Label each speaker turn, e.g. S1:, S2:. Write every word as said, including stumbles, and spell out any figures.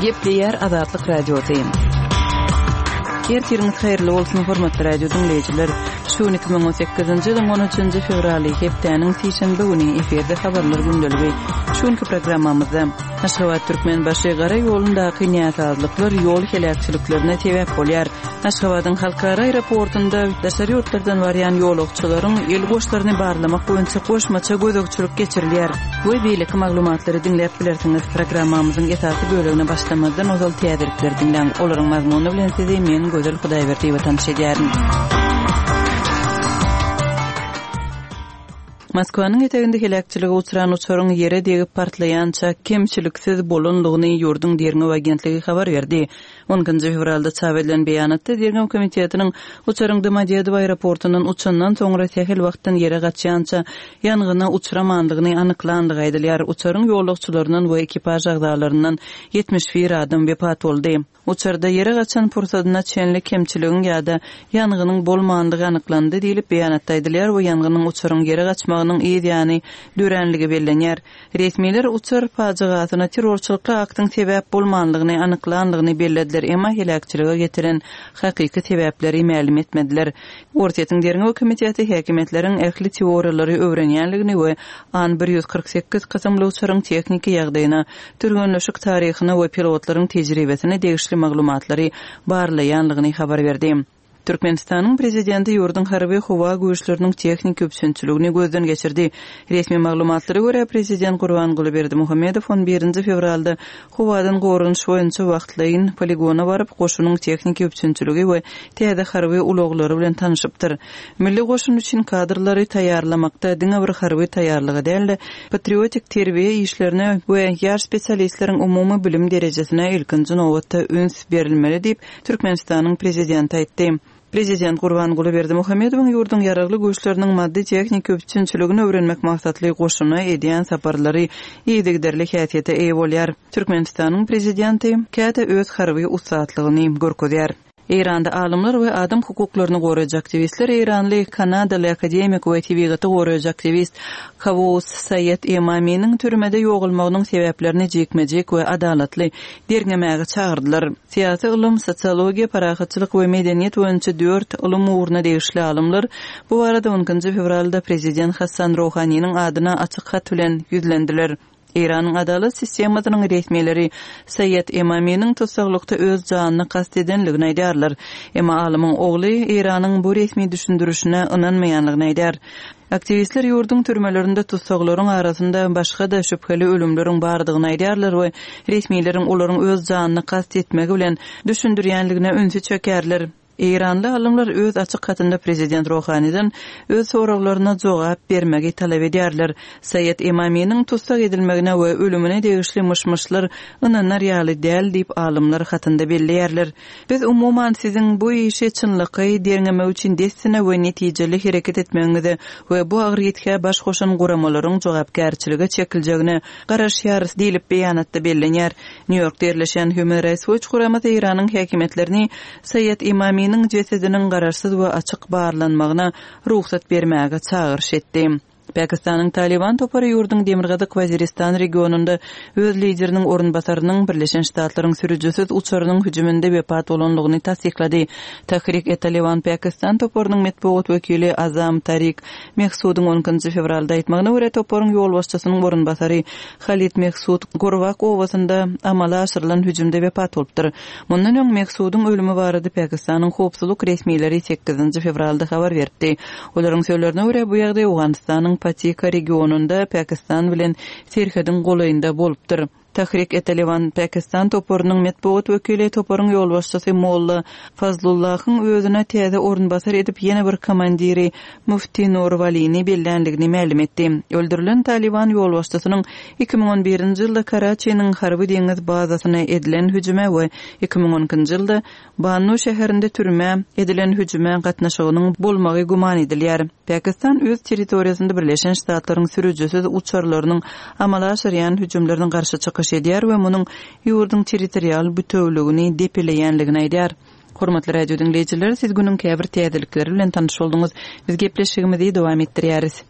S1: Gepleýär Azatlyk Radiosy. Ertiriňiz haýyrly bolsun, hormatly radio diňleýjiler. Şu gün iki müň on sekizinji ýylyň on üçünji fewraly, hepdäniň sişenbe güni efirde habarlar gündeligi. Şu günki programmamyzda Aşgabat Türkmenbaşy gara ýolundaky näsazlyklar ýol heläkçiliklerine sebäp bolýar. Aşgabadyň halkara aeroportunda daşary ýurtlardan barýan ýolagçylaryň el goşlaryny barlamak boýunça goşmaça gözegçilik geçirilýär. We beýleki maglumatlary diňläp bilersiňiz. Programmamyzyň esasy bölegine başlamazdan ozal täzelikleri diňläň. Olaryň mazmuny bilen sizi men Gözel Hudaýberdiýewa tanyş edýärin. Moskwanyň eteginde heläkçilige uçran uçaryň ýere degip partlaýança kemçiliksiz bolanlygyny ýurduň derňew agentligi habar berdi. On ikinji fewralda çap edilen beýanatda derňew komitetiniň uçaryň Domodedowo aeroportundan uçandan soňra sähel wagtdan ýere gaçýança ýangyna uçramandygyny anyklandygy aýdylýar. Uçaryň ýolagçylaryndan we ekipaž agzalaryndan ýetmiş bir adam wepat boldy. Uçarda ýere gaçan pursadyna çenli kemçiligiň ýa-da ýangynyň bolmandygy anyklandy diýlip beýanatda aýdylýar we ýangynyň uçaryň ýere gaçmagynyň yz ýany döränligi bellenýär. Resmiler uçar pajygasyna terrorçylykly aktyň sebäp bolmanlygyny anyklandygyny bellediler, emma heläkçilige getiren hakyky sebäpleri mälim etmediler. Orsýetiň derňew komiteti häkimiýetleriň ähli teoriýalary öwrenýänligini we An bir ýüz kyrk sekiz kysymly uçaryň tehniki ýagdaýyna, türgenleşik taryhyna we pilotlaryň tejribesine degişli maglumatlary barlaýanlygyny habar berdi. Türkmenistanyň prezidenti ýurduň harby howa güýçleriniň tehniki üpjünçiligini gözden geçirdi. Resmi maglumatlara görä, prezident Gurbanguly Berdimuhamedow on birinji fewralda howadan goranyş boýunça wagtlaýyn poligona baryp, goşunyň tehniki üpjünçiligi we täze harby ulaglary bilen tanyşypdyr. Milli goşun üçin kadrlary taýýarlamakda diňe bir harby taýýarlygy däl-de, patriotik terbiýe işlerine we ýaş spesialistleriň umumy bilim derejesine ilkinji nobatda üns berilmeli diýip, Türkmenistanyň prezidenti aýtdy. Prezident Gurbanguly Berdimuhamedowyň ýurduň ýaragly güýçleriniň maddy tehniki üpjünçiligini öwrenmek maksatly goşuna edýän saparlary yzygiderli häsiýete eýe bolýar. Türkmenistanyň prezidenti käte öz harby ussatlygyny görkezýär. Eýranda alymlar we adam hukuklaryny goraýjy aktiwistler Eýranly Kanadaly akademik we tebigaty goraýjy aktiwist Kawus Saýed Emaminiň türmede ýogalmagynyň sebäplerini jikme-jik we adalatly derňemäge çagyrdylar. Syýasy ylym, sosiologiýa, parahatçylyk we medeniýet boýunça dört ylym ugruna degişli alymlar bu barada on ikinji fewralda prezident Hassan Rouhaniniň adyna açyk hat bilen ýüzlendiler. Eýranyň adalat sistemasynyň resmileri Saýed Emaminiň tutsaglykda öz janyny kast edenligini aýdýarlar. Emma alymyň ogly Eýranyň bu resmi düşündirişine ynanmaýanlygyny aýdýar. Aktiwistler ýurduň türmelerinde tutsaglaryň arasynda başga-da şübheli ölümleriň bardygyny aýdýarlar we resmileriň olaryň öz janyny kast etmegi bilen düşündirýänligine ünsi çekerler. Eýranly alymlar öz açyk hatynda prezident Rohaniden öz soraglaryna jogap bermegi talap edýärler. Saýed Emaminiň tutsak edilmegine we ölümine degişli myş-myşlar ynanar ýaly däl diýip alymlar hatynda belleýärler. Biz umuman siziň bu işi çynlakaý derňemek üçin dessine we netijeli hereket etmegiňize we bu agyr ýitgä baş goşan guramalaryň jogapkärçilige çekiljegine garaşýarys diýlip beýanatda bellenýär. New Yorkda ýerleşen Human Rights Watch guramasy Eýranyň häkimiýetlerini Saýed Emaminiň jesediniň garaşsyz we açyk barlanmagyna rugsat bermäge çagyryş etdi. Pakistanyň Taliban topary ýurduň Demirgazyk Waziristan regionunda öz lideriniň orunbasarynyň Birleşen Ştatlaryň sürüjisiz uçarynyň hüjüminde wepat bolanlygyny tassyklady. Tahrik-e-Taliban Pakistan toparynyň metbugat wekili Azam Tarik Mehsudyň on ikinji fewralda aýtmagyna görä toparyň ýolbaşçysynyň orunbasary Halid Mehsud Gorwak obasynda amala aşyrylan hüjümde wepat bolupdyr. Mundan öň Mehsudyň ölümi barada Pakistanyň howpsuzlyk resmileri sekizinji fewralda habar beripdi. Olaryň sözlerine görä bu ýagdaý Owganystanyň Patika regionunda Pakistan bilen serhediň golaýynda bolupdyr. Tahrik-e-Taliban Pakistan toparynyň metbugat wekili toparyň ýolbaşçysy Molla Fazlullahyň özüne täze orunbasar edip ýene bir komandiri Mufti Nur Walini bellänligini mälim etdi. Öldürilen Taliban ýolbaşçysynyň iki müň on birinji ýylda Karaçiniň harby deňiz bazasyna edilen hüjüme we iki müň on ikinji ýylda Bannu şäherinde türmä edilen hüjüme gatnaşygynyň bolmagy güman edilýär. Pakistan öz territoriýasynda Birleşen Ştatlaryň sürüjisiz uçarlarynyň amala aşyrýan hüjümlerine garşy çykyş edýär we munuň ýurduň territorial bütewligini depeleýänligini aýdýar. Hormatly radio diňleýjiler, siz günüň käbir täzelikleri bilen tanyş bolduňyz. Biz gepleşigimizi dowam etdirýäris.